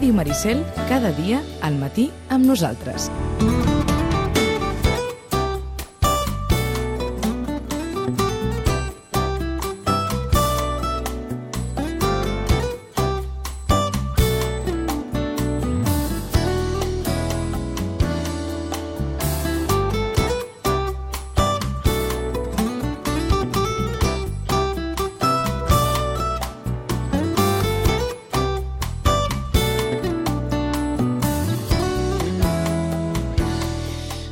Ràdio Maricel, cada dia al matí amb nosaltres.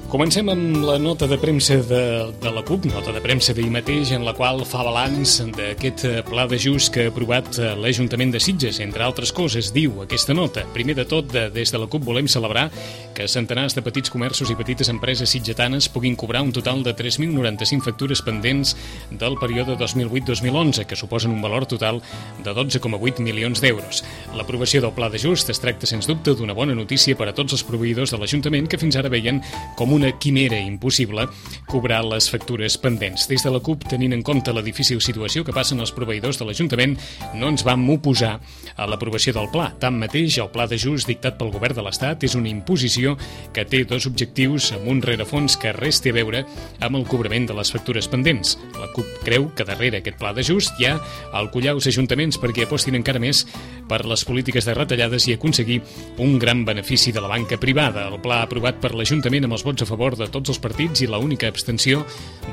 Comencem amb la nota de premsa de la CUP, nota de premsa d'ahir mateix, en la qual fa balanç d'aquest pla d'ajust que ha aprovat l'Ajuntament de Sitges. Entre altres coses, diu aquesta nota: primer de tot, des de la CUP volem celebrar que centenars de petits comerços i petites empreses sitgetanes puguin cobrar un total de 3.095 factures pendents del període 2008-2011, que suposen un valor total de 12,8 milions d'euros. L'aprovació del pla d'ajust es tracta, sens dubte, d'una bona notícia per a tots els proveïdors de l'Ajuntament que fins ara veien com una quimera impossible cobrar les factures pendents. Des de la CUP, tenint en compte la difícil situació que passen els proveïdors de l'Ajuntament, no ens vam oposar a l'aprovació del pla. Tanmateix, el pla d'ajust dictat pel Govern de l'Estat és una imposició que té dos objectius amb un rerefons que res té a veure amb el cobrament de les factures pendents. La CUP creu que darrere aquest pla d'ajust hi ha el collar als ajuntaments perquè apostin encara més per les polítiques de retallades i aconseguir un gran benefici de la banca privada. El pla aprovat per l'Ajuntament amb els vots a favor de tots els partits i la única abstenció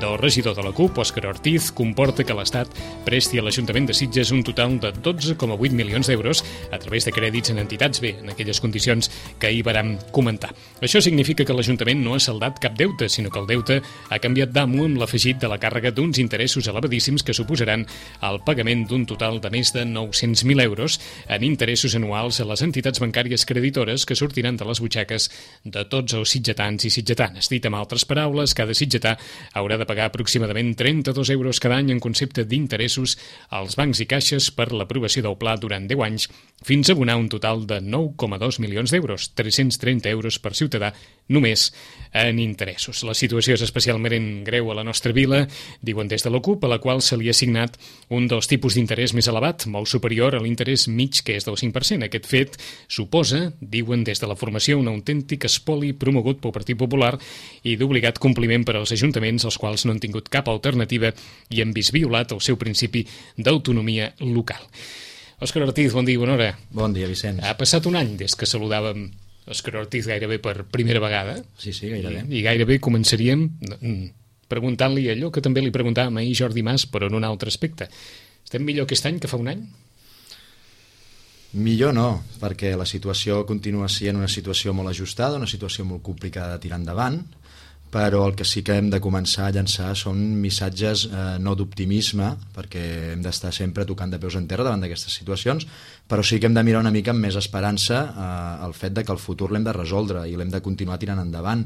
del regidor de la CUP, Òscar Ortiz, comporta que l'Estat presti a l'Ajuntament de Sitges un total de 12,8 milions d'euros a través de crèdits en entitats B, en aquelles condicions que ahir vàrem comentar. Això significa que l'Ajuntament no ha saldat cap deute, sinó que el deute ha canviat d'amo amb l'afegit de la càrrega d'uns interessos elevadíssims que suposaran el pagament d'un total de més de 900.000 euros en interessos anuals a les entitats bancàries creditores que sortiran de les butxaques de tots els sitgetans i sitgetanes. Dit amb altres paraules, cada sitgetà haurà de pagar aproximadament 32 euros cada any en concepte d'interessos als bancs i caixes per l'aprovació del pla durant 10 anys, fins a abonar un total de 9,2 milions d'euros, 330 euros per ciutadà només en interessos. La situació és especialment greu a la nostra vila, diuen des de la CUP, a la qual se li ha assignat un dels tipus d'interès més elevat, molt superior a l'interès mig, que és del 5%. Aquest fet suposa, diuen des de la formació, un autèntic espoli promogut pel Partit Popular i d'obligat compliment per als ajuntaments, els quals no han tingut cap alternativa i han vist violat el seu principi d'autonomia local. Òscar Ortiz, bon dia, bona hora. Bon dia, Vicenç. Ha passat un any des que saludàvem Òscar Ortiz gairebé per primera vegada. Sí, gairebé. I gairebé començaríem preguntant-li allò que també li preguntàvem ahir Jordi Mas, però en un altre aspecte. Estem millor aquest any que fa un any? Millor no, perquè la situació continua sent una situació molt ajustada, una situació molt complicada de tirar endavant, però el que sí que hem de començar a llançar són missatges no d'optimisme, perquè hem d'estar sempre tocant de peus en terra davant d'aquestes situacions, però sí que hem de mirar una mica amb més esperança el fet de que el futur l'hem de resoldre i l'hem de continuar tirant endavant,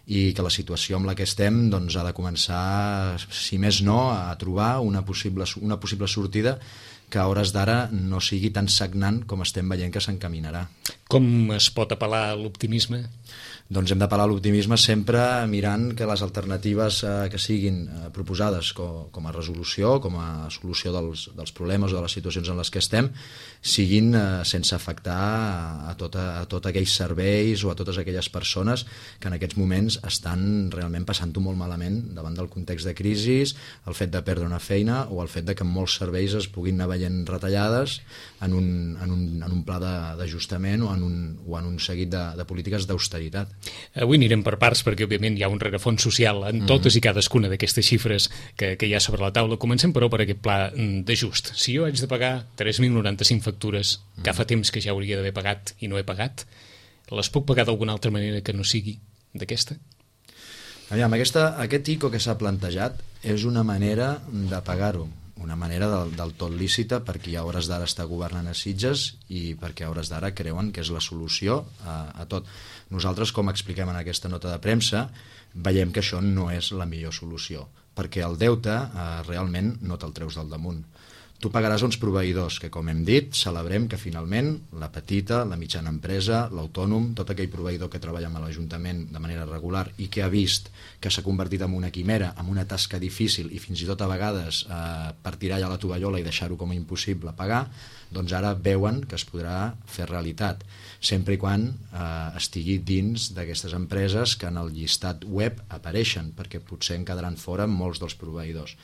i que la situació amb la que estem doncs, ha de començar, si més no, a trobar una possible sortida que a hores d'ara no sigui tan sagnant com estem veient que s'encaminarà. Com es pot apel·lar a l'optimisme? Doncs hem d'apel·lar a l'optimisme sempre mirant que les alternatives que siguin proposades com a resolució, com a solució dels problemes o de les situacions en les que estem, siguin sense afectar a tots aquells serveis o a totes aquelles persones que en aquests moments estan realment passant-ho molt malament davant del context de crisi, el fet de perdre una feina o el fet de que molts serveis es puguin anar veient retallades en un pla d'ajustament o en un seguit de polítiques d'austeritat. Avui anirem per parts perquè òbviament hi ha un rerefons social en totes i cadascuna d'aquestes xifres que hi ha sobre la taula. Comencem però per aquest pla d'ajust. Si jo haig de pagar 3.095 factures que fa temps que ja hauria d'haver pagat i no he pagat, les puc pagar d'alguna altra manera que no sigui d'aquesta? Aviam, aquest ICO que s'ha plantejat és una manera de pagar-ho, una manera del tot lícita, perquè a hores d'ara està governant a Sitges i perquè a hores d'ara creuen que és la solució a tot. Nosaltres, com expliquem en aquesta nota de premsa, veiem que això no és la millor solució, perquè el deute realment no te'l treus del damunt. Tu pagaràs uns proveïdors que, com hem dit, celebrem que finalment la petita, la mitjana empresa, l'autònom, tot aquell proveïdor que treballa amb l'Ajuntament de manera regular i que ha vist que s'ha convertit en una quimera, en una tasca difícil i fins i tot a vegades per tirar ja la tovallola i deixar-ho com a impossible pagar, doncs ara veuen que es podrà fer realitat, sempre i quan estigui dins d'aquestes empreses que en el llistat web apareixen, perquè potser en quedaran fora molts dels proveïdors.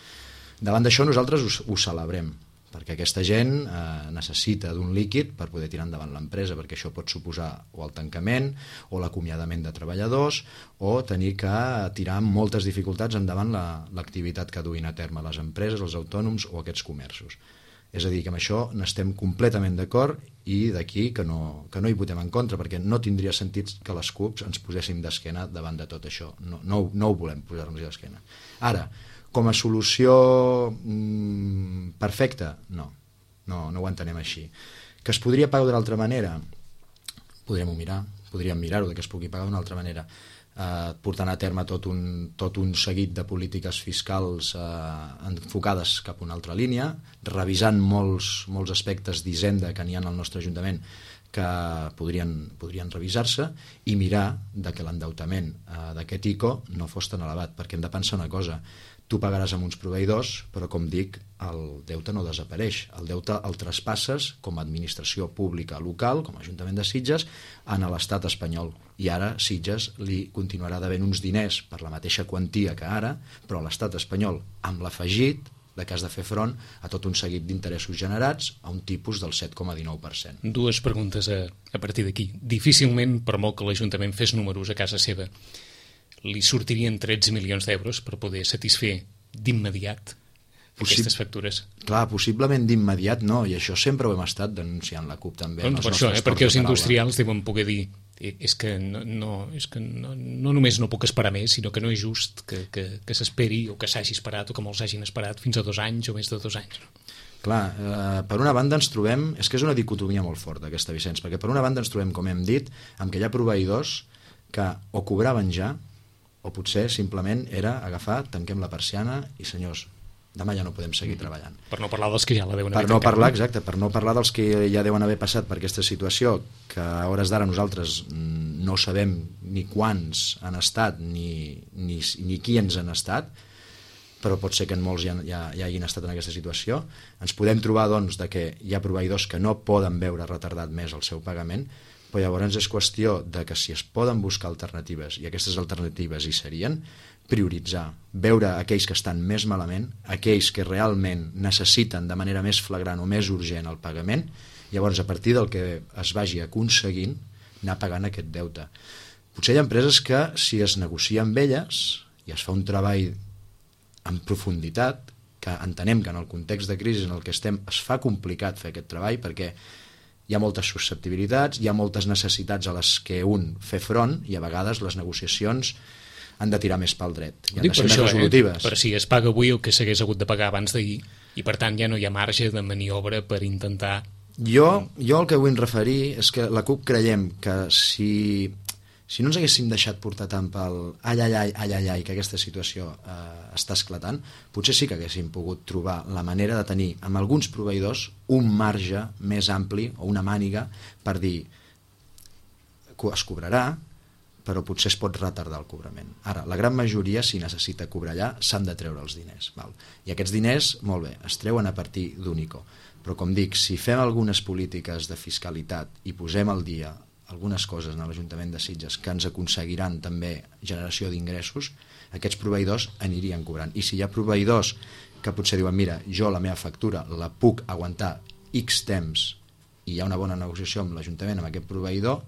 Davant d'això nosaltres ho celebrem, perquè aquesta gent necessita d'un líquid per poder tirar endavant l'empresa, perquè això pot suposar o el tancament o l'acomiadament de treballadors o tenir que tirar amb moltes dificultats endavant l'activitat que duin a terme les empreses, els autònoms o aquests comerços. És a dir, que amb això n'estem completament d'acord i d'aquí que no hi votem en contra, perquè no tindria sentit que les CUPs ens poséssim d'esquena davant de tot això. No ho volem posar-nos d'esquena. Ara, com a solució perfecta, no ho entenem així. Que es podria pagar d'una altra manera? Podríem mirar-ho, que es pugui pagar d'una altra manera, portant a terme tot un seguit de polítiques fiscals enfocades cap a una altra línia, revisant molts aspectes d'hisenda que n'hi ha al nostre Ajuntament que podrien revisar-se i mirar que l'endeutament d'aquest ICO no fos tan elevat, perquè hem de pensar una cosa: tu pagaràs amb uns proveïdors, però com dic, el deute no desapareix. El deute el traspasses com a administració pública local, com a Ajuntament de Sitges, a l'estat espanyol. I ara Sitges li continuarà devent uns diners per la mateixa quantia que ara, però a l'estat espanyol, amb l'afegit de que has de fer front a tot un seguit d'interessos generats a un tipus del 7,19%. Dues preguntes a partir d'aquí. Difícilment, per molt que l'Ajuntament fes números a casa seva, li sortirien 13 milions d'euros per poder satisfer d'immediat aquestes factures? Clar, possiblement d'immediat no, i això sempre ho hem estat denunciant la CUP també. Doncs per això, perquè els industrials deuen poder dir és que no només no puc esperar més, sinó que no és just que s'esperi o que s'hagi esperat o que molts hagin esperat fins a 2 anys o més de 2 anys. Clar, per una banda ens trobem, és que és una dicotomia molt forta aquesta, Vicenç, perquè per una banda ens trobem, com hem dit, amb que hi ha proveïdors que o cobraven ja o potser simplement era agafar, tanquem la persiana i senyors, demà ja no podem seguir treballant. Per no parlar dels que ja la deuen haver tancat. Per no parlar dels que ja deuen haver passat per aquesta situació, que a hores d'ara nosaltres no sabem ni quants han estat ni qui ens han estat, però pot ser que en molts ja hagin estat en aquesta situació. Ens podem trobar doncs que hi ha proveïdors que no poden veure retardat més el seu pagament, però llavors és qüestió de que si es poden buscar alternatives, i aquestes alternatives hi serien, prioritzar, veure aquells que estan més malament, aquells que realment necessiten de manera més flagrant o més urgent el pagament, llavors a partir del que es vagi aconseguint anar pagant aquest deute. Potser hi ha empreses que si es negocia amb elles i es fa un treball en profunditat, que entenem que en el context de crisi en el que estem es fa complicat fer aquest treball perquè hi ha moltes susceptibilitats, hi ha moltes necessitats a les que un fer front i a vegades les negociacions han de tirar més pel dret i han de ser més resolutives. Però si es paga avui el que s'hagués hagut de pagar abans d'ahir i per tant ja no hi ha marge de maniobra per intentar... Jo el que vull referir és que la CUP creiem que si no ens haguéssim deixat portar tant pel ai, que aquesta situació està esclatant, potser sí que haguéssim pogut trobar la manera de tenir amb alguns proveïdors un marge més ampli o una màniga per dir es cobrarà, però potser es pot retardar el cobrament. Ara, la gran majoria, si necessita cobrar allà, s'han de treure els diners. Val? I aquests diners, molt bé, es treuen a partir d'un ICO. Però, com dic, si fem algunes polítiques de fiscalitat i posem al dia algunes coses en l'Ajuntament de Sitges que ens aconseguiran també generació d'ingressos, aquests proveïdors anirien cobrant. I si hi ha proveïdors que potser diuen mira, jo la meva factura la puc aguantar X temps i hi ha una bona negociació amb l'Ajuntament, amb aquest proveïdor,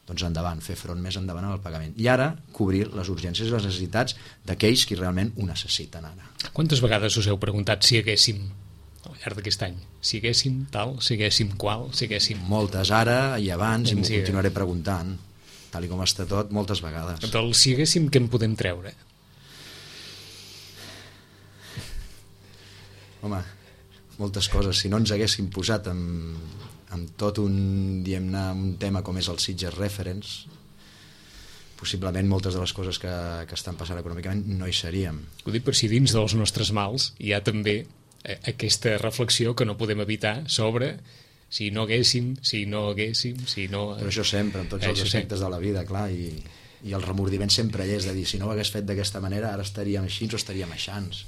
doncs endavant, fer front més endavant al pagament. I ara cobrir les urgències i les necessitats d'aquells que realment ho necessiten ara. Quantes vegades us heu preguntat si haguéssim al llarg d'aquest any, si haguéssim tal, si haguéssim qual, si haguéssim... Moltes ara i abans, i m'ho continuaré preguntant, tal i com està tot, moltes vegades. Del si haguéssim, què en podem treure? Home, moltes coses. Si no ens haguéssim posat amb tot un tema com és el Sitges Reference, possiblement moltes de les coses que estan passant econòmicament no hi seríem. Ho dic per si dins dels nostres mals hi ha també aquesta reflexió que no podem evitar sobre si no haguéssim, si no haguéssim, si no... Però això sempre, en tots els aspectes de la vida, clar, i el remordiment sempre hi és de dir, si no ho hagués fet d'aquesta manera, ara estaríem així o estaríem aixans.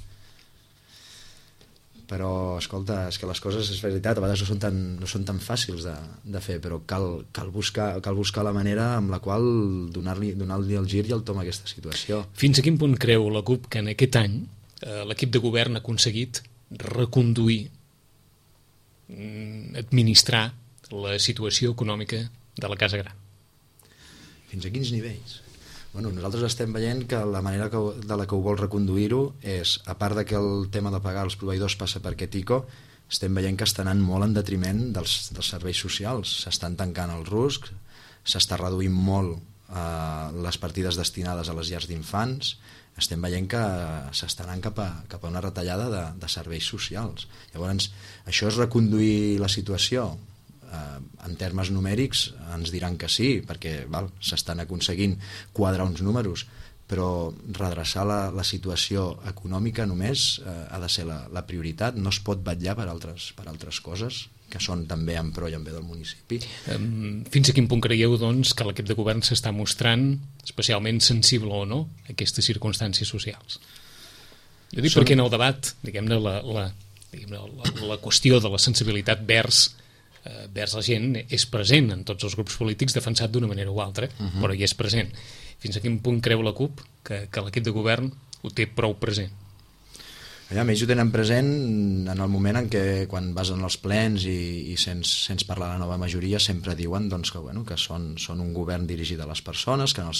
Però, escolta, és que les coses, és veritat, a vegades no són tan fàcils de fer, però cal buscar la manera amb la qual donar-li el gir i el tom a aquesta situació. Fins a quin punt creu la CUP que en aquest any l'equip de govern ha aconseguit reconduir, administrar la situació econòmica de la Casa Gran? Fins a quins nivells? Bueno, nosaltres estem veient que la manera de la que ho vol reconduir-ho és, a part de que el tema de pagar els proveïdors passa per aquest ICO, estem veient que està anant molt en detriment dels serveis socials. S'estan tancant els RUSC, s'està reduint molt les partides destinades a les llars d'infants, estem veient que s'està anant cap a una retallada de serveis socials. Llavors, això és reconduir la situació? En termes numèrics ens diran que sí, perquè s'estan aconseguint quadrar uns números, però redreçar la situació econòmica només ha de ser la prioritat, no es pot vetllar per altres coses que són també en pro i en bé del municipi. Fins a quin punt creieu, doncs, que l'equip de govern s'està mostrant especialment sensible o no a aquestes circumstàncies socials? Jo dic perquè en el debat, diguem-ne, la qüestió de la sensibilitat vers la gent és present en tots els grups polítics, defensat d'una manera o altra, però hi és present. Fins a quin punt creu la CUP que l'equip de govern ho té prou present? Allà, ells ho tenen present en el moment en què, quan vas en els plens i sents parlar la nova majoria, sempre diuen doncs, que són un govern dirigit a les persones, que en el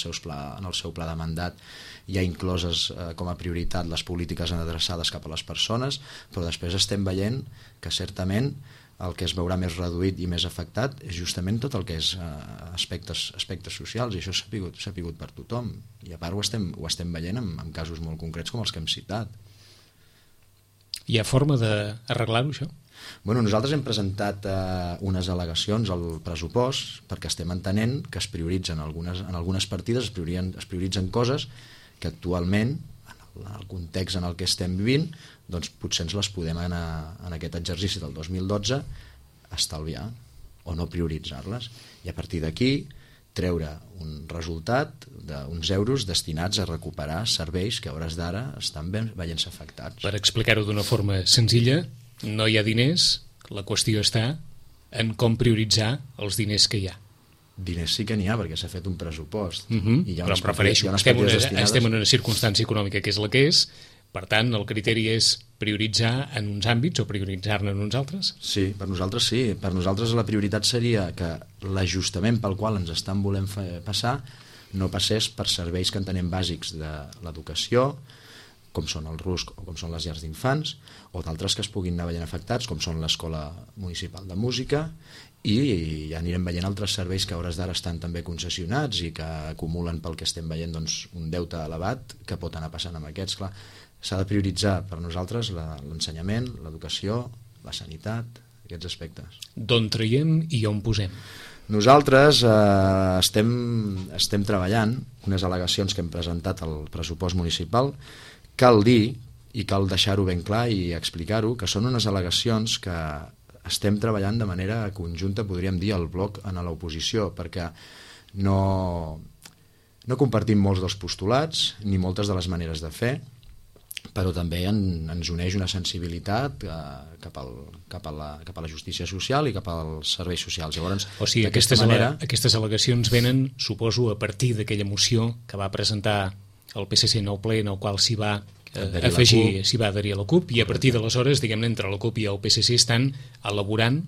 seu pla de mandat hi ha incloses com a prioritat les polítiques adreçades cap a les persones, però després estem veient que certament el que es veurà més reduït i més afectat és justament tot el que és aspectes socials, i això s'ha pigut per tothom, i a part ho estem veient en casos molt concrets com els que hem citat. Hi ha forma d'arreglar-ho, això? Bueno, nosaltres hem presentat unes al·legacions al pressupost perquè estem entenent que es prioritzen en algunes partides, es prioritzen coses que actualment, en el context en el que estem vivint, doncs potser ens les podem en aquest exercici del 2012 estalviar o no prioritzar-les, i a partir d'aquí treure un resultat d'uns euros destinats a recuperar serveis que a hores d'ara estan veient-se afectats. Per explicar-ho d'una forma senzilla, no hi ha diners, la qüestió està en com prioritzar els diners que hi ha. Diners sí que n'hi ha, perquè s'ha fet un pressupost. I però em refereixo, estem en una circumstància econòmica que és la que és, per tant, el criteri és prioritzar en uns àmbits o prioritzar-ne en uns altres? Sí, per nosaltres sí. Per nosaltres la prioritat seria que l'ajustament pel qual ens estan volent passar no passés per serveis que entenem bàsics de l'educació, com són el RUSC o com són les llars d'infants, o d'altres que es puguin anar veient afectats, com són l'Escola Municipal de Música, i ja anirem veient altres serveis que a hores d'ara estan també concessionats i que acumulen pel que estem veient doncs, un deute elevat que pot anar passant amb aquests. Clar, s'ha de prioritzar per nosaltres l'ensenyament, l'educació, la sanitat, aquests aspectes. D'on traiem i on posem? Nosaltres estem treballant unes al·legacions que hem presentat al pressupost municipal. Cal dir, i cal deixar-ho ben clar i explicar-ho, que són unes al·legacions que estem treballant de manera conjunta, podríem dir, al bloc en l'oposició, perquè no compartim molts dels postulats ni moltes de les maneres de fer, però també ens uneix una sensibilitat cap a la justícia social i cap als serveis socials. Llavors, o sigui, aquestes al·legacions venen, suposo, a partir d'aquella moció que va presentar el PSC en el ple, en el qual s'hi va adherir a la CUP, i a partir d'aleshores, diguem-ne, entre la CUP i el PSC estan elaborant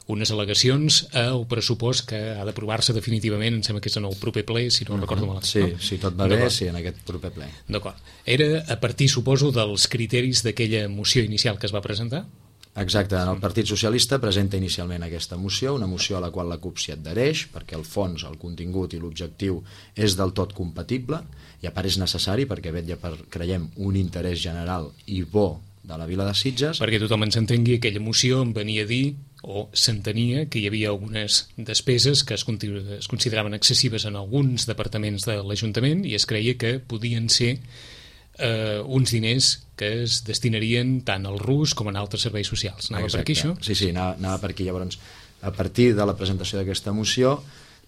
unes al·legacions al pressupost que ha d'aprovar-se definitivament, em sembla que és en el proper ple, si no recordo malament. Sí, si tot va bé, sí, en aquest proper ple. D'acord. Era a partir, suposo, dels criteris d'aquella moció inicial que es va presentar? Exacte, el Partit Socialista presenta inicialment aquesta moció, una moció a la qual la CUP s'hi adhereix, perquè el fons, el contingut i l'objectiu és del tot compatible, i a part és necessari perquè vetlla per, creiem, un interès general i bo de la vila de Sitges. Perquè tothom ens entengui, aquella moció em venia a dir, o s'entenia, que hi havia algunes despeses que es consideraven excessives en alguns departaments de l'Ajuntament i es creia que podien ser uns diners que es destinarien tant al RUS com a altres serveis socials. Anava per aquí, això? Sí, anava per aquí. Llavors, a partir de la presentació d'aquesta moció,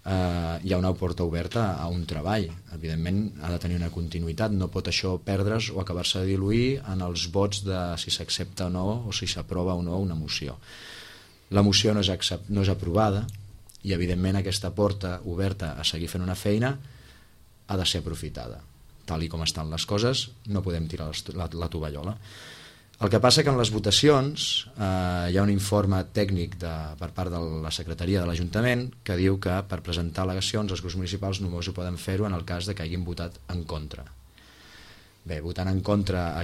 hi ha una porta oberta a un treball. Evidentment ha de tenir una continuïtat, no pot això perdre's o acabar-se de diluir en els vots de si s'accepta o no, o si s'aprova o no una moció. La moció no és aprovada i evidentment aquesta porta oberta a seguir fent una feina ha de ser aprofitada. Tal i com estan les coses, no podem tirar la tovallola. El que passa que en les votacions hi ha un informe tècnic per part de la secretaria de l'Ajuntament que diu que per presentar al·legacions els grups municipals només ho poden fer-ho en el cas de que hagin votat en contra. Bé, votant en contra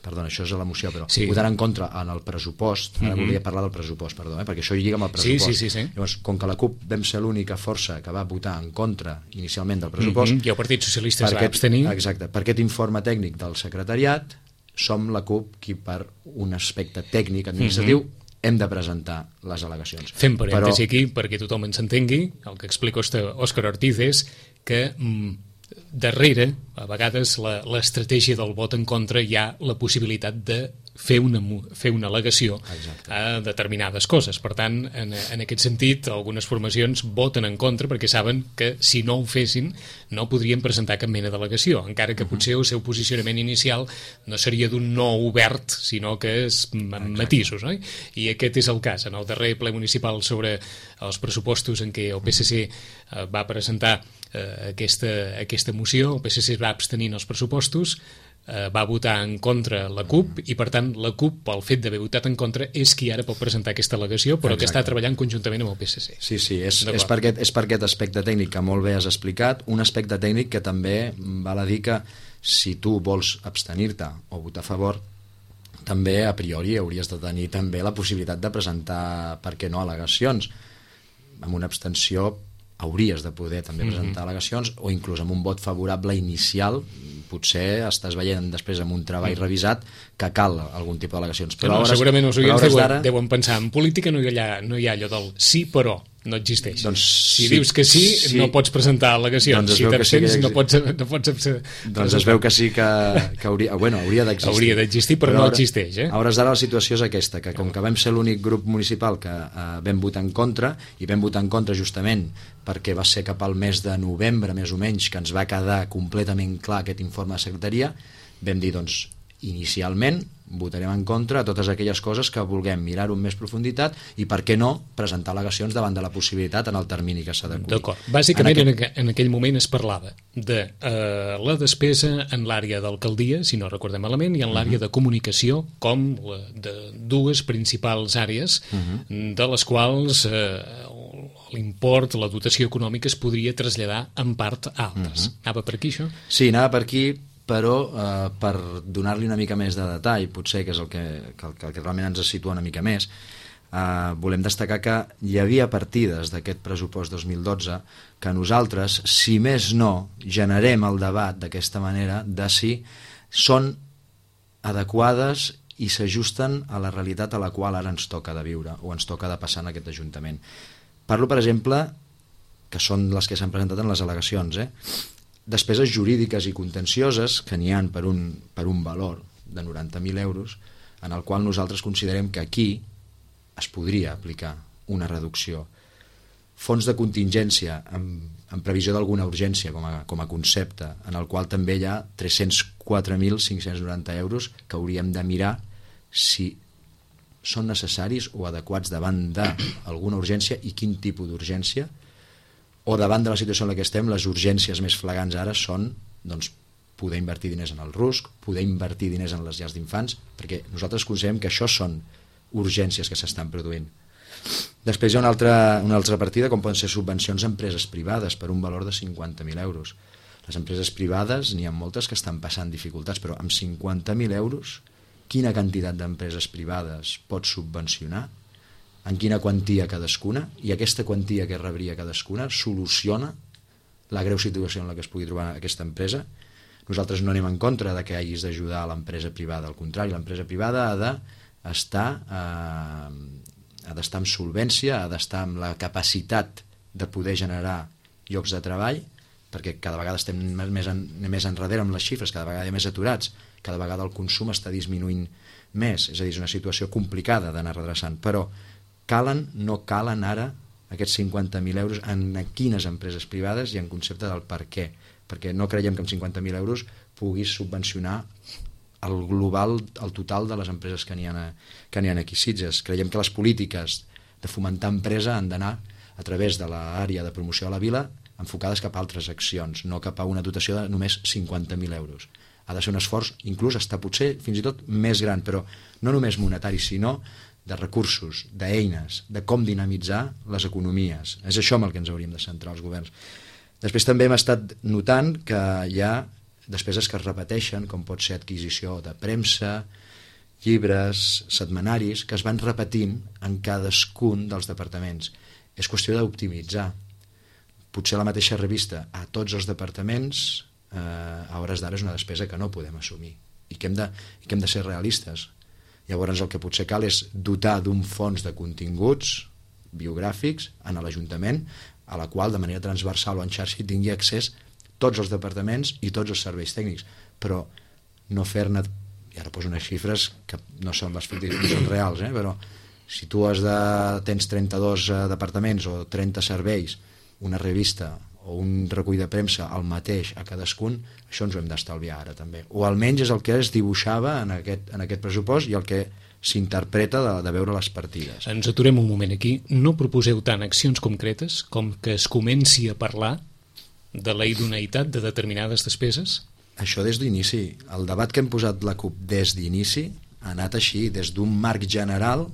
perdona, això és a la moció, però sí. Votant en contra en el pressupost, ara volia parlar del pressupost, perquè això hi lliga amb el pressupost. Sí. Llavors, com que la CUP vam ser l'única força que va votar en contra inicialment del pressupost, i el Partit Socialista es va abstenir. Exacte, per aquest informe tècnic del secretariat som la CUP qui per un aspecte tècnic administratiu hem de presentar les al·legacions. Fem parèntesi aquí perquè tothom ens entengui. El que explica Òscar Ortiz és que darrere, a vegades, l'estratègia del vot en contra hi ha la possibilitat de fer una al·legació a determinades coses. Per tant, en aquest sentit, algunes formacions voten en contra perquè saben que si no ho fessin no podrien presentar cap mena d'al·legació, encara que potser el seu posicionament inicial no seria d'un no obert, sinó que és amb matisos, no? I aquest és el cas. En el darrer ple municipal sobre els pressupostos en què el PSC va presentar aquesta moció, el PSC es va abstenir en els pressupostos, va votar en contra la CUP i per tant la CUP, pel fet d'haver votat en contra, és qui ara pot presentar aquesta al·legació, però que està treballant conjuntament amb el PSC. Sí, és per aquest aspecte tècnic que molt bé has explicat, un aspecte tècnic que també val a dir que si tu vols abstenir-te o votar a favor, també a priori hauries de tenir també la possibilitat de presentar, per què no, al·legacions. Amb una abstenció hauries de poder també presentar al·legacions, o inclús amb un vot favorable inicial potser estàs veient després amb un treball revisat que cal algun tipus d'al·legacions. Però segurament els oients deuen pensar en política no hi ha allò del sí però no existeix. Si dius que sí, no pots presentar al·legacions. Si t'absents no pots doncs es veu que sí que hauria d'existir. Hauria d'existir, però no existeix. A hores d'ara la situació és aquesta, que com que vam ser l'únic grup municipal que vam votar en contra, i vam votar en contra justament perquè va ser cap al mes de novembre, més o menys, que ens va quedar completament clar aquest informe de secretaria, vam dir, doncs, inicialment votarem en contra a totes aquelles coses que vulguem mirar-ho amb més profunditat i, per què no, presentar al·legacions davant de la possibilitat en el termini que s'adequi. D'acord. Bàsicament, en aquell moment es parlava de la despesa en l'àrea d'alcaldia, si no recordem malament, i en l'àrea de comunicació, com de dues principals àrees, de les quals l'import, la dotació econòmica es podria traslladar en part a altres. Anava per aquí, això? Sí, anava per aquí, però per donar-li una mica més de detall, potser que és el que realment ens situa una mica més, volem destacar que hi havia partides d'aquest pressupost 2012 que nosaltres, si més no, generem el debat d'aquesta manera de si són adequades i s'ajusten a la realitat a la qual ara ens toca de viure o ens toca de passar en aquest Ajuntament. Parlo, per exemple, que són les que s'han presentat en les al·legacions, despeses jurídiques i contencioses que n'hi ha per un valor de 90.000 euros, en el qual nosaltres considerem que aquí es podria aplicar una reducció. Fons de contingència en previsió d'alguna urgència com a concepte, en el qual també hi ha 304.590 euros que hauríem de mirar si són necessaris o adequats davant d'alguna urgència i quin tipus d'urgència, o davant de la situació en la que estem, les urgències més flagrants ara són poder invertir diners en el RUSC, poder invertir diners en les llars d'infants, perquè nosaltres considerem que això són urgències que s'estan produint. Després hi ha una altra partida, com poden ser subvencions a empreses privades per un valor de 50.000 euros. Les empreses privades, n'hi ha moltes que estan passant dificultats, però amb 50.000 euros, quina quantitat d'empreses privades pot subvencionar, en quina quantia cadascuna, i aquesta quantia que rebria cadascuna soluciona la greu situació en la que es pugui trobar aquesta empresa. Nosaltres no anem en contra de que hagis d'ajudar a l'empresa privada, al contrari, l'empresa privada ha d'estar amb solvència, ha d'estar amb la capacitat de poder generar llocs de treball perquè cada vegada estem més enrere amb les xifres, cada vegada hi ha més aturats, cada vegada el consum està disminuint més, és a dir, és una situació complicada d'anar redreçant, però no calen ara aquests 50.000 euros en quines empreses privades i en concepte del per què, perquè no creiem que amb 50.000 euros puguis subvencionar el global, el total de les empreses que n'hi ha aquí a Sitges. Creiem que les polítiques de fomentar empresa han d'anar a través de l'àrea de promoció de la vila enfocades cap a altres accions, no cap a una dotació de només 50.000 euros. Ha de ser un esforç, inclús està potser fins i tot més gran, però no només monetari, sinó de recursos, d'eines, de com dinamitzar les economies. És això amb el que ens hauríem de centrar els governs. Després també hem estat notant que hi ha despeses que es repeteixen, com pot ser adquisició de premsa, llibres, setmanaris, que es van repetint en cadascun dels departaments. És qüestió d'optimitzar. Potser la mateixa revista a tots els departaments a hores d'ara és una despesa que no podem assumir i que hem de ser realistes. Llavors el que potser cal és dotar d'un fons de continguts biogràfics en l'Ajuntament a la qual de manera transversal o en xarxa tingui accés tots els departaments i tots els serveis tècnics, però no fer-ne, i ara poso unes xifres que no són les fictícies, no són reals, però si tu tens 32 departaments o 30 serveis, una revista o un recull de premsa el mateix a cadascun, això ens ho hem d'estalviar ara també, o almenys és el que es dibuixava en aquest pressupost i el que s'interpreta de veure les partides. Ens aturem un moment aquí. No proposeu tant accions concretes com que es comenci a parlar de la idoneïtat de determinades despeses? Això des d'inici. El debat que hem posat la CUP des d'inici ha anat així, des d'un marc general,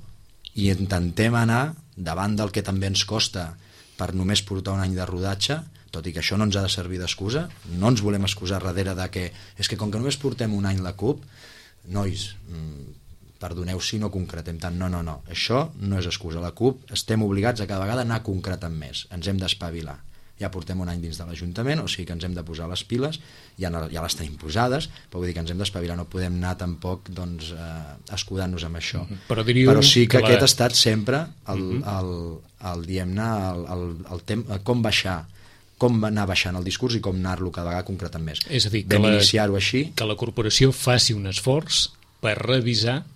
i intentem anar davant del que també ens costa per només portar un any de rodatge, tot i que això no ens ha de servir d'excusa, no ens volem excusar darrere de que és que com que només portem un any la CUP, nois, perdoneu si no concretem tant, no, això no és excusa. La CUP estem obligats a cada vegada anar concretant més, ens hem d'espavilar. Ja portem un any dins de l'Ajuntament, o sigui que ens hem de posar les piles, ja les tenim posades, però vull dir que ens hem d'espavilar, no podem anar tampoc escudant-nos amb això. Però sí que aquest ha estat sempre diguem-ne, com anar baixant el discurs i com anar-lo cada vegada concretant més. És a dir, vam iniciar-ho així. Que la corporació faci un esforç per revisar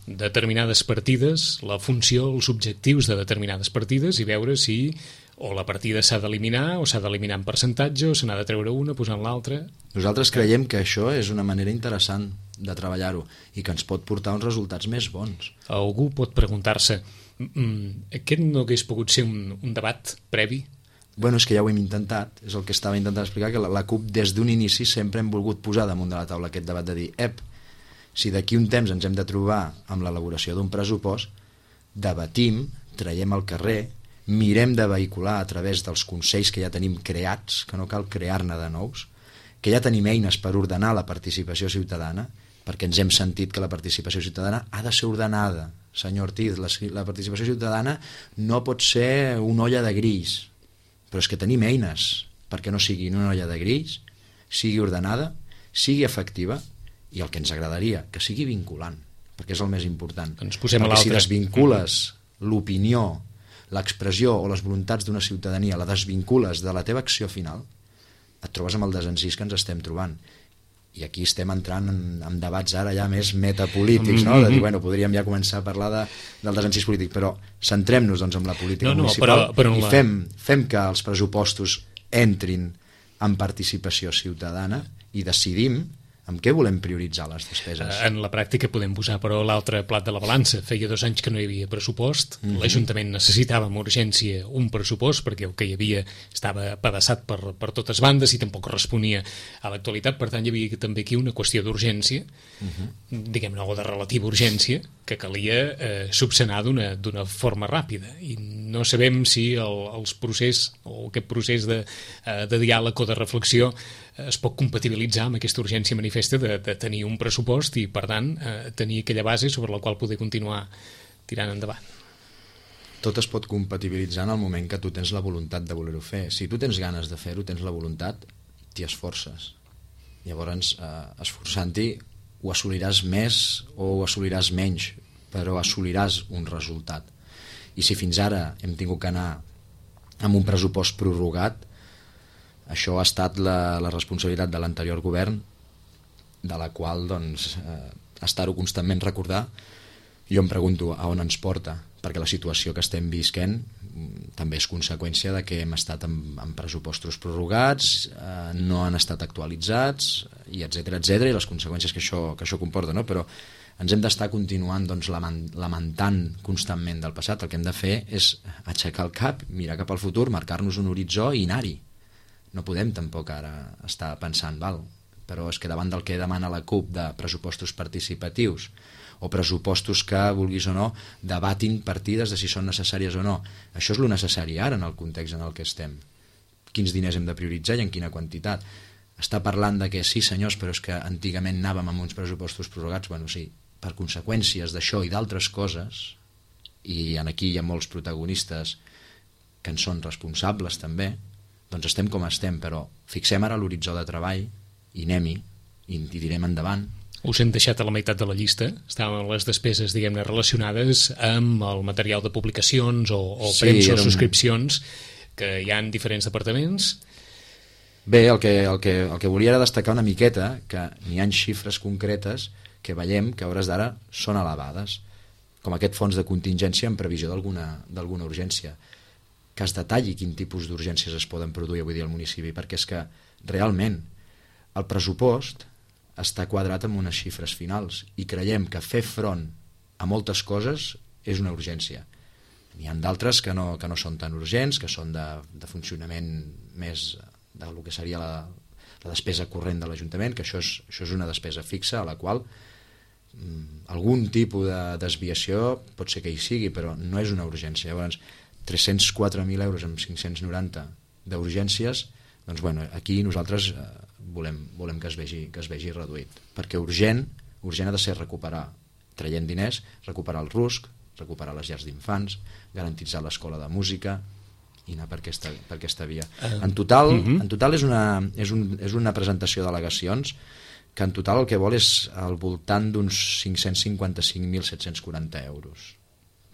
determinades partides, la funció, els objectius de determinades partides i veure si o la partida s'ha d'eliminar o s'ha d'eliminar en percentatge o se n'ha de treure una posant l'altra. Nosaltres creiem que això és una manera interessant de treballar-ho i que ens pot portar uns resultats més bons. Algú pot preguntar-se, aquest no hagués pogut ser un debat previ? Bueno, és que ja ho hem intentat, és el que estava intentant explicar, que la CUP des d'un inici sempre hem volgut posar damunt de la taula aquest debat de dir, si d'aquí un temps ens hem de trobar amb l'elaboració d'un pressupost, debatim, traiem al carrer, mirem de vehicular a través dels consells que ja tenim creats, que no cal crear-ne de nous, que ja tenim eines per ordenar la participació ciutadana, perquè ens hem sentit que la participació ciutadana ha de ser ordenada. Senyor Ortiz, la participació ciutadana no pot ser una olla de grills, però és que tenim eines perquè no sigui una olla de grills, sigui ordenada, sigui efectiva, i el que ens agradaria, que sigui vinculant, perquè és el més important. Perquè si desvincules l'opinió, l'expressió o les voluntats d'una ciutadania, la desvincules de la teva acció final, et trobes amb el desencís que ens estem trobant. I aquí estem entrant en debats ara ja més metapolítics, no? De dir, bueno, podríem ja començar a parlar del desencís polític, però centrem-nos doncs en la política municipal i fem que els pressupostos entrin en participació ciutadana i decidim amb què volem prioritzar les despeses. En la pràctica podem posar, però, l'altre plat de la balança. Feia 2 anys que no hi havia pressupost, l'Ajuntament necessitava amb urgència un pressupost perquè el que hi havia estava apedaçat per totes bandes i tampoc responia a l'actualitat, per tant hi havia també aquí una qüestió d'urgència, diguem-ne, o de relativa urgència, que calia subsanar d'una forma ràpida, i no sabem si aquest procés de diàleg o de reflexió es pot compatibilitzar amb aquesta urgència manifesta de tenir un pressupost i, per tant, tenir aquella base sobre la qual poder continuar tirant endavant. Tot es pot compatibilitzar en el moment que tu tens la voluntat de voler-ho fer. Si tu tens ganes de fer-ho, tens la voluntat, t'hi esforces. Llavors, esforçant-hi, ho assoliràs més o ho assoliràs menys, però assoliràs un resultat. I si fins ara hem tingut que anar amb un pressupost prorrogat, Això ha estat la responsabilitat de l'anterior govern, de la qual doncs, estar-ho constantment recordar. Jo em pregunto a on ens porta, perquè la situació que estem visquent també és conseqüència de que hem estat amb pressupostos prorrogats, no han estat actualitzats, i etcètera, i les conseqüències que això comporta, no? Però ens hem d'estar continuant doncs, lamentant constantment del passat. El que hem de fer és aixecar el cap, mirar cap al futur, marcar-nos un horitzó i anar-hi. No podem tampoc ara estar pensant, però és que davant del que demana la CUP de pressupostos participatius o pressupostos que, vulguis o no, debatin partides de si són necessàries o no. Això és lo necessari ara en el context en el que estem. Quins diners hem de prioritzar i en quina quantitat. Està parlant de que sí, senyors, però és que antigament anàvem amb uns pressupostos prorrogats. Bueno, sí, per conseqüències d'això i d'altres coses, i aquí hi ha molts protagonistes que en són responsables també, doncs estem com estem, però fixem ara l'horitzó de treball i anem-hi, i direm endavant. Us hem deixat a la meitat de la llista. Estàvem les despeses, diguem-ne, relacionades amb el material de publicacions o premsa o subscripcions que hi ha en diferents departaments. Bé, el que volia era destacar una miqueta que n'hi ha xifres concretes que veiem que a hores d'ara són elevades, com aquest fons de contingència en previsió d'alguna urgència, que es detalli quin tipus d'urgències es poden produir avui dia al municipi, perquè és que realment el pressupost està quadrat amb unes xifres finals i creiem que fer front a moltes coses és una urgència. N'hi ha d'altres que no són tan urgents, que són de funcionament més del que seria la despesa corrent de l'Ajuntament, que això és una despesa fixa a la qual algun tipus de desviació pot ser que hi sigui, però no és una urgència. Llavors, 304.000 euros amb 590 d'urgències, doncs bueno, aquí nosaltres volem que es vegi reduït, perquè urgent ha de ser recuperar, traient diners, recuperar el RUSC, recuperar les llars d'infants, garantitzar l'escola de música i anar per aquesta via. En total és una presentació d'al·legacions que en total el que vol és al voltant d'uns 555.740 euros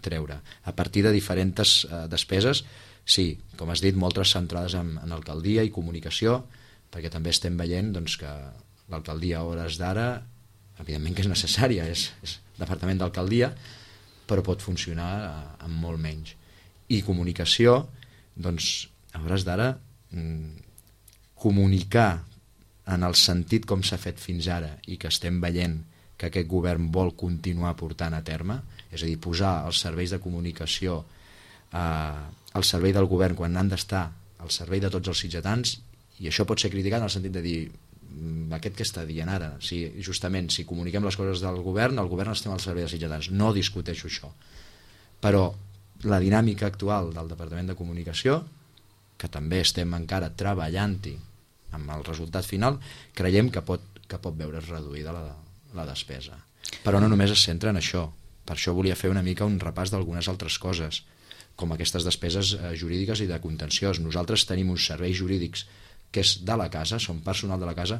treure, a partir de diferents despeses, sí, com has dit, moltes centrades en alcaldia i comunicació, perquè també estem veient doncs, que l'alcaldia a hores d'ara, evidentment que és necessària, és departament d'alcaldia, però pot funcionar amb molt menys. I comunicació, doncs, a hores d'ara, comunicar en el sentit com s'ha fet fins ara i que estem veient que aquest govern vol continuar portant a terme, és a dir, posar els serveis de comunicació al servei del govern quan han d'estar al servei de tots els sitgetans, i això pot ser criticat en el sentit de dir aquest que està dient ara, justament si comuniquem les coses del govern, el govern estem al servei dels sitgetans, no discuteixo això, però la dinàmica actual del Departament de Comunicació, que també estem encara treballant-hi amb el resultat final, creiem que pot veure's reduïda la despesa, però no només es centra en això. Per això volia fer una mica un repàs d'algunes altres coses, com aquestes despeses jurídiques i de contenciós. Nosaltres tenim uns serveis jurídics que és de la casa, són personal de la casa,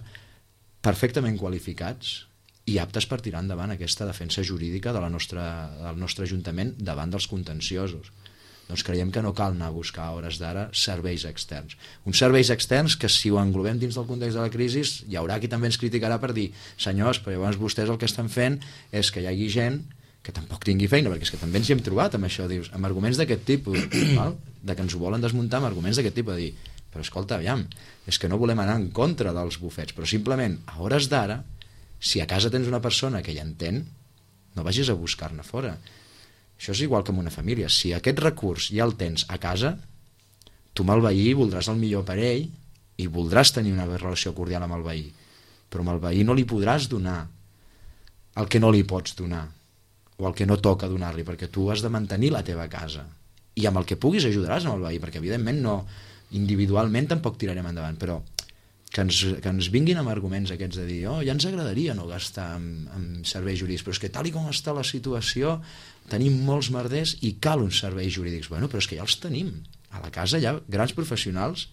perfectament qualificats i aptes per tirar endavant aquesta defensa jurídica del nostre Ajuntament davant dels contenciosos. Doncs creiem que no cal anar a buscar a hores d'ara serveis externs. Uns serveis externs que, si ho englobem dins del context de la crisi, hi haurà qui també ens criticarà per dir senyors, però llavors vostès el que estan fent és que hi hagi gent que tampoc tingui feina, perquè és que també ens hi hem trobat amb això, dius, amb arguments d'aquest tipus, val? De que ens ho volen desmuntar amb arguments d'aquest tipus, de dir, però escolta, aviam, és que no volem anar en contra dels bufets, però simplement, a hores d'ara, si a casa tens una persona que hi entén, no vagis a buscar-ne fora. Això és igual que amb una família. Si aquest recurs ja el tens a casa, tu amb el veí voldràs el millor per ell i voldràs tenir una relació cordial amb el veí, però amb el veí no li podràs donar el que no li pots donar o el que no toca donar-li, perquè tu has de mantenir la teva casa i amb el que puguis ajudaràs amb el veí, perquè evidentment no, individualment tampoc tirarem endavant, però que ens vinguin amb arguments aquests de dir ja ens agradaria no gastar en serveis jurídics, però és que tal i com està la situació tenim molts merders i cal uns serveis jurídics. Bueno, però és que ja els tenim. A la casa hi ha grans professionals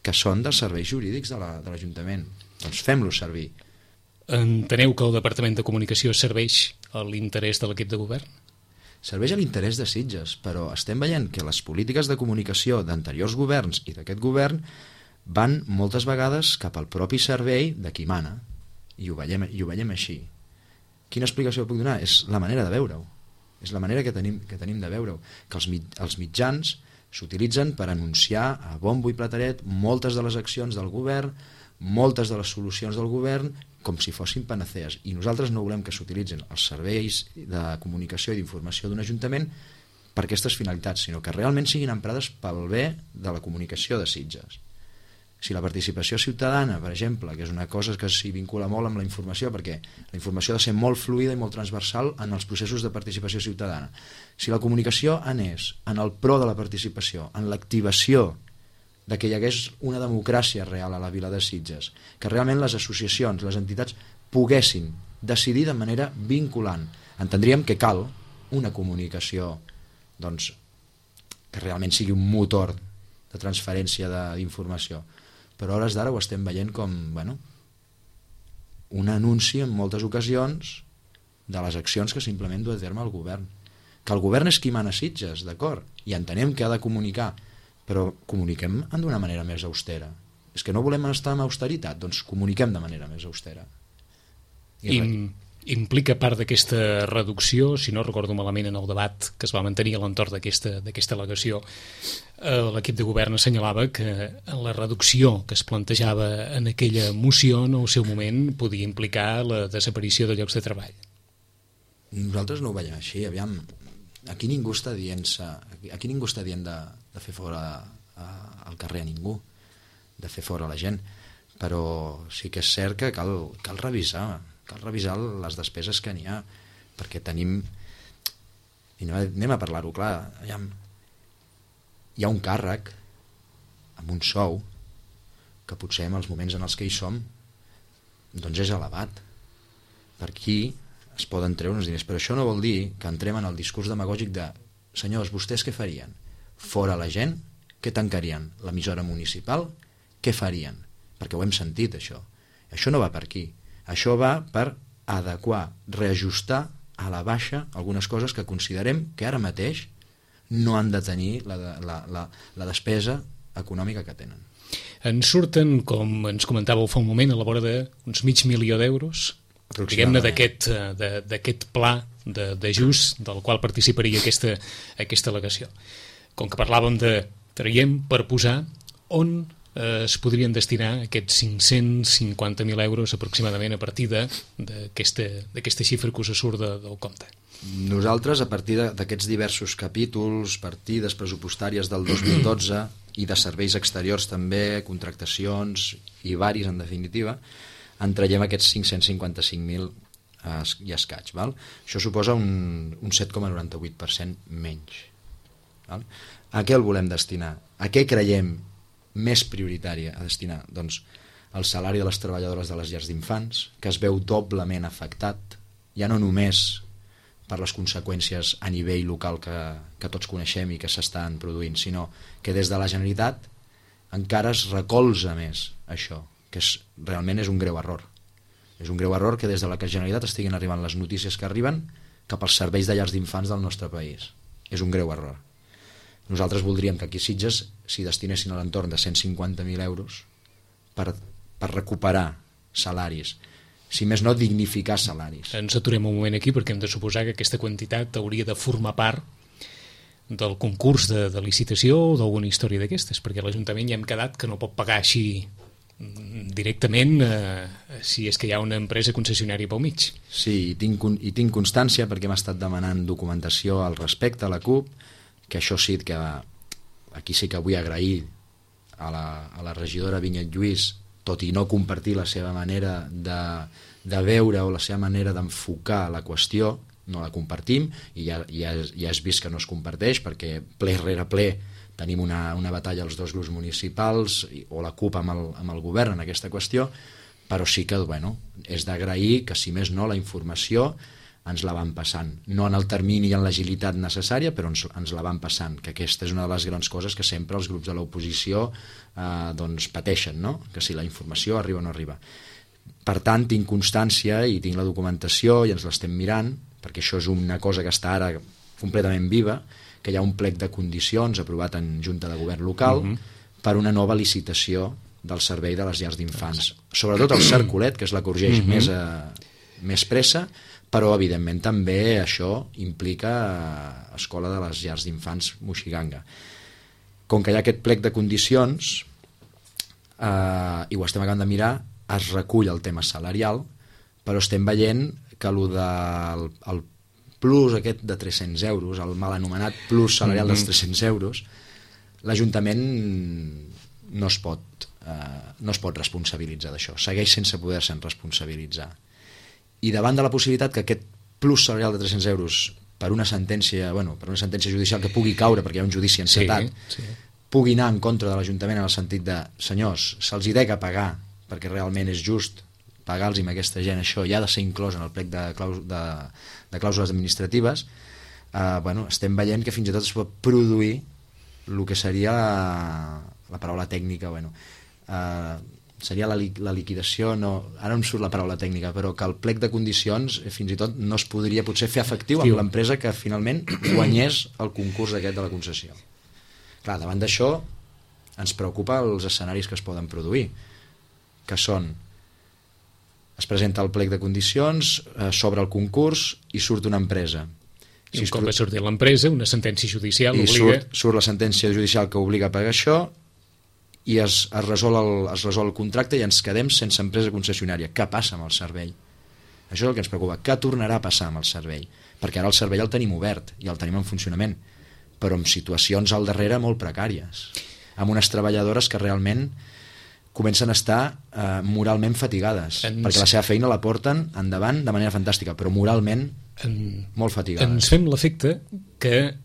que són dels serveis jurídics de l'Ajuntament. Doncs fem-los servir. Enteneu que el Departament de Comunicació serveix a l'interès de l'equip de govern? Serveix a l'interès de Sitges, però estem veient que les polítiques de comunicació d'anteriors governs i d'aquest govern van moltes vegades cap al propi servei de qui mana, i ho veiem així. Quina explicació puc donar? És la manera de veure-ho, és la manera que tenim de veure-ho, que els mitjans s'utilitzen per anunciar a bombo i plateret moltes de les accions del govern, moltes de les solucions del govern, com si fossin panacees, i nosaltres no volem que s'utilitzin els serveis de comunicació i d'informació d'un ajuntament per aquestes finalitats, sinó que realment siguin emprades pel bé de la comunicació de Sitges. Si la participació ciutadana, per exemple, que és una cosa que s'hi vincula molt amb la informació, perquè la informació ha de ser molt fluida i molt transversal en els processos de participació ciutadana, si la comunicació anés en el pro de la participació, en l'activació de que hi hagués una democràcia real a la vila de Sitges, que realment les associacions, les entitats poguessin decidir de manera vinculant, entendríem que cal una comunicació doncs, que realment sigui un motor de transferència d'informació, però a hores d'ara ho estem veient com un anunci en moltes ocasions de les accions que simplement du a terme el govern, que el govern és qui mana Sitges, d'acord, i entenem que ha de comunicar, però comuniquem d'una manera més austera. És que no volem estar en austeritat, doncs comuniquem de manera més austera. Implica part d'aquesta reducció, si no recordo malament en el debat que es va mantenir a l'entorn d'aquesta al·legació, l'equip de govern assenyalava que la reducció que es plantejava en aquella moció en el seu moment podia implicar la desaparició de llocs de treball. Nosaltres no ho veiem així, aviam. Aquí ningú està dient de fer fora al carrer a ningú, de fer fora la gent, però sí que és cert que cal revisar les despeses que n'hi ha, perquè tenim, i anem a parlar-ho clar, hi ha un càrrec amb un sou que potser en els moments en els que hi som doncs és elevat. Per aquí es poden treure uns diners, però això no vol dir que entrem en el discurs demagògic de senyors, vostès què farien? Fora la gent? Què tancarien? L'emissora municipal? Què farien? Perquè ho hem sentit, això. Això no va per aquí. Això va per adequar, reajustar a la baixa algunes coses que considerem que ara mateix no han de tenir la despesa econòmica que tenen. En surten, com ens comentàveu fa un moment, a la vora d'uns $500.000 diguem-ne d'aquest pla d'ajust del qual participaria aquesta al·legació. Com que parlàvem de traiem per posar, on es podrien destinar aquests €550.000 aproximadament a partir d'aquesta xifra que us surt del compte? Nosaltres, a partir d'aquests diversos capítols, partides pressupostàries del 2012 i de serveis exteriors també, contractacions i varis en definitiva, en traiem aquests 555.000 i escaig. Val? Això suposa un 7,98% menys. Val? A què el volem destinar? A què creiem més prioritari a destinar? Doncs el salari de les treballadores de les llars d'infants, que es veu doblement afectat, ja no només per les conseqüències a nivell local que tots coneixem i que s'estan produint, sinó que des de la Generalitat encara es recolza més això, que realment és un greu error. És un greu error que des de la Generalitat estiguin arribant les notícies que arriben cap als serveis de llars d'infants del nostre país. És un greu error. Nosaltres voldríem que aquí a Sitges s'hi destinessin a l'entorn de 150.000 euros per recuperar salaris, si més no dignificar salaris. Ens aturem un moment aquí perquè hem de suposar que aquesta quantitat hauria de formar part del concurs de licitació o d'alguna història d'aquestes, perquè l'Ajuntament ja hem quedat que no pot pagar així directament si és que hi ha una empresa concessionària pel mig. Sí, i tinc constància perquè hem estat demanant documentació al respecte a la CUP, que això sí que aquí sí que vull agrair a la regidora Vinyet Lluís, tot i no compartir la seva manera de veure o la seva manera d'enfocar la qüestió, no la compartim i ja has vist que no es comparteix perquè ple rere ple tenim una batalla als dos grups municipals o la CUP amb el govern en aquesta qüestió, però sí que és d'agrair que si més no la informació ens la van passant, no en el termini i en l'agilitat necessària, però ens la van passant, que aquesta és una de les grans coses que sempre els grups de l'oposició pateixen, no? Que si la informació arriba o no arriba. Per tant, tinc constància i tinc la documentació i ens l'estem mirant, perquè això és una cosa que està ara completament viva, que hi ha un plec de condicions aprovat en Junta de Govern local per una nova licitació del servei de les llars d'infants. Sobretot el Cercolet, que és la que urgeix més pressa, però evidentment també això implica escola de les llars d'infants Moixiganga. Com que hi ha aquest plec de condicions, i ho estem acabant de mirar, es recull el tema salarial, però estem veient que el plus aquest de 300 euros, el mal anomenat plus salarial dels 300 euros, l'Ajuntament no es pot responsabilitzar d'això, segueix sense poder-se'n responsabilitzar. I davant de la possibilitat que aquest plus salarial de 300 euros per una sentència judicial que pugui caure perquè hi ha un judici encetat, pugui anar en contra de l'Ajuntament en el sentit de, senyors, se'ls hi dec a pagar perquè realment és just pagar-los a aquesta gent això i ha de ser inclòs en el plec de clàusules administratives, estem veient que fins i tot es pot produir el que seria la paraula tècnica, seria la liquidació, ara em surt la paraula tècnica, però que el plec de condicions fins i tot no es podria potser fer efectiu amb l'empresa que finalment guanyés el concurs aquest de la concessió. Clar, davant d'això ens preocupa els escenaris que es poden produir, que són: es presenta el plec de condicions, s'obre el concurs i surt una empresa. I un cop va sortir l'empresa, una sentència judicial obliga... Surt la sentència judicial que obliga a pagar això i es resol el contracte i ens quedem sense empresa concessionària. Què passa amb el servei? Això és el que ens preocupa. Què tornarà a passar amb el servei? Perquè ara el servei el tenim obert i el tenim en funcionament, però amb situacions al darrere molt precàries, amb unes treballadores que realment comencen a estar moralment fatigades, perquè la seva feina la porten endavant de manera fantàstica, però moralment molt fatigades. Ens fem l'efecte que,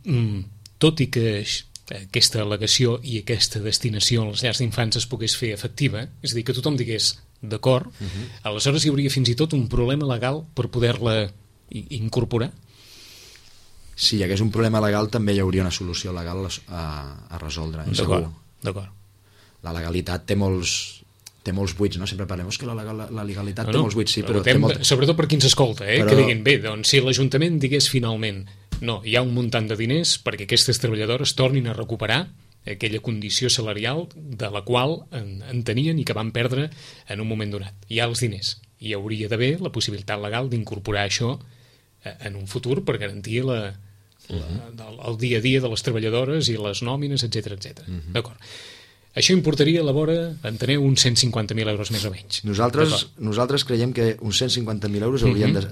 tot i que aquesta al·legació i aquesta destinació a les llars d'infants es pogués fer efectiva, és a dir, que tothom digués d'acord, aleshores hi hauria fins i tot un problema legal per poder-la incorporar? Si hi hagués un problema legal també hi hauria una solució legal a resoldre, segur. D'acord. La legalitat té molts buits, no? Sempre parlem que la legalitat té molts buits, sí, però sobretot per qui ens escolta, que diguin, bé, doncs si l'Ajuntament digués finalment no, hi ha un muntant de diners perquè aquestes treballadores tornin a recuperar aquella condició salarial de la qual en tenien i que van perdre en un moment donat. Hi ha els diners, i hi hauria d'haver la possibilitat legal d'incorporar això en un futur per garantir el dia a dia de les treballadores i les nòmines, etc. D'acord. Això importaria a la vora, enteneu, uns 150.000 euros més o menys. Nosaltres creiem que uns 150.000 euros haurien de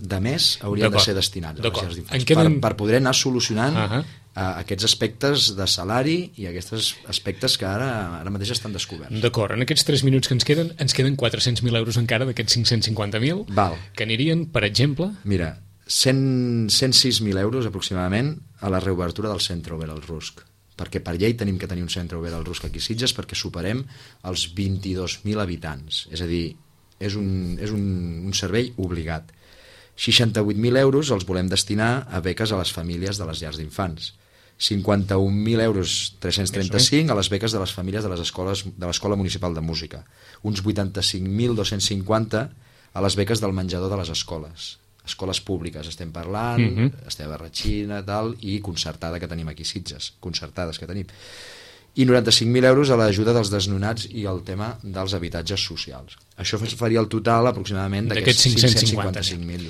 ser destinats a les llars d'infants per poder anar solucionant aquests aspectes de salari i aquests aspectes que ara mateix estan descoberts. D'acord, en aquests 3 minuts que ens queden 400.000 euros encara d'aquests 550.000 que anirien, per exemple... Mira, 106.000 euros aproximadament a la reobertura del centre obert al Rusc, perquè per llei tenim que tenir un centre obert al Rusc aquí a Sitges perquè superem els 22.000 habitants, és a dir, és un servei obligat. 68.000 euros els volem destinar a beques a les famílies de les llars d'infants, 51.000 euros 335 a les beques de les famílies de l'Escola Municipal de Música, uns 85.250 a les beques del menjador de les escoles públiques estem parlant, Esteve Ratxina i concertada que tenim aquí a Sitges, concertades que tenim, i 95.000 euros a l'ajuda dels desnonats i el tema dels habitatges socials. Això faria el total aproximadament d'aquests 555.000.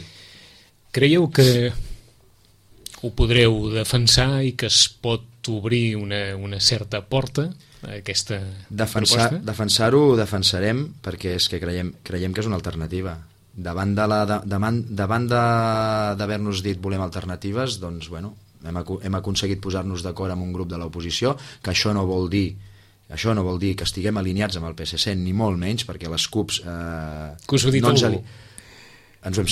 Creieu que ho podreu defensar i que es pot obrir una certa porta a aquesta proposta? Defensar-ho ho defensarem perquè és que creiem que és una alternativa. Davant d'haver-nos dit volem alternatives, doncs, hem aconseguit posar-nos d'acord amb un grup de l'oposició, que això no vol dir que estiguem alineats amb el PSC, ni molt menys, perquè les CUPs... Que us ho ha dit algú? Ens ho hem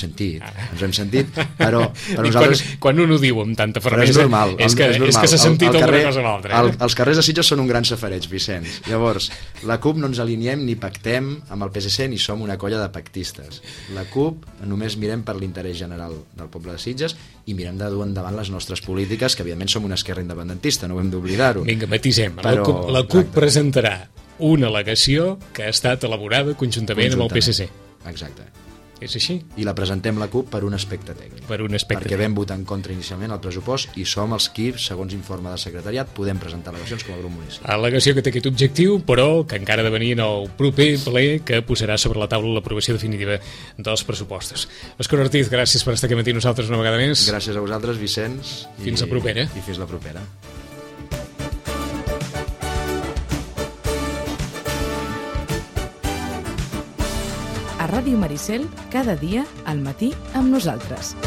sentit, però nosaltres... Quan un ho diu amb tanta fermesa, és normal, és que s'ha sentit alguna cosa amb l'altra. Els carrers de Sitges són un gran safareig, Vicenç. Llavors, la CUP no ens aliniem ni pactem amb el PSC ni som una colla de pactistes. La CUP només mirem per l'interès general del poble de Sitges i mirem de dur endavant les nostres polítiques, que evidentment som una esquerra independentista, no ho hem d'oblidar-ho. Vinga, matisem. La CUP presentarà una al·legació que ha estat elaborada conjuntament amb el PSC. Exacte. És així? I la presentem la CUP per un aspecte tècnic. Per un aspecte perquè vam votar en contra inicialment el pressupost i som els qui, segons informe de secretariat, podem presentar al·legacions com a grup municipal. Al·legació que té aquest objectiu, però que encara ha de venir en el proper ple que posarà sobre la taula l'aprovació definitiva dels pressupostos. Òscar Ortiz, gràcies per estar aquí amb nosaltres una vegada més. Gràcies a vosaltres, Vicenç. Fins la propera. I fins la propera. A Ràdio Maricel, cada dia, al matí, amb nosaltres.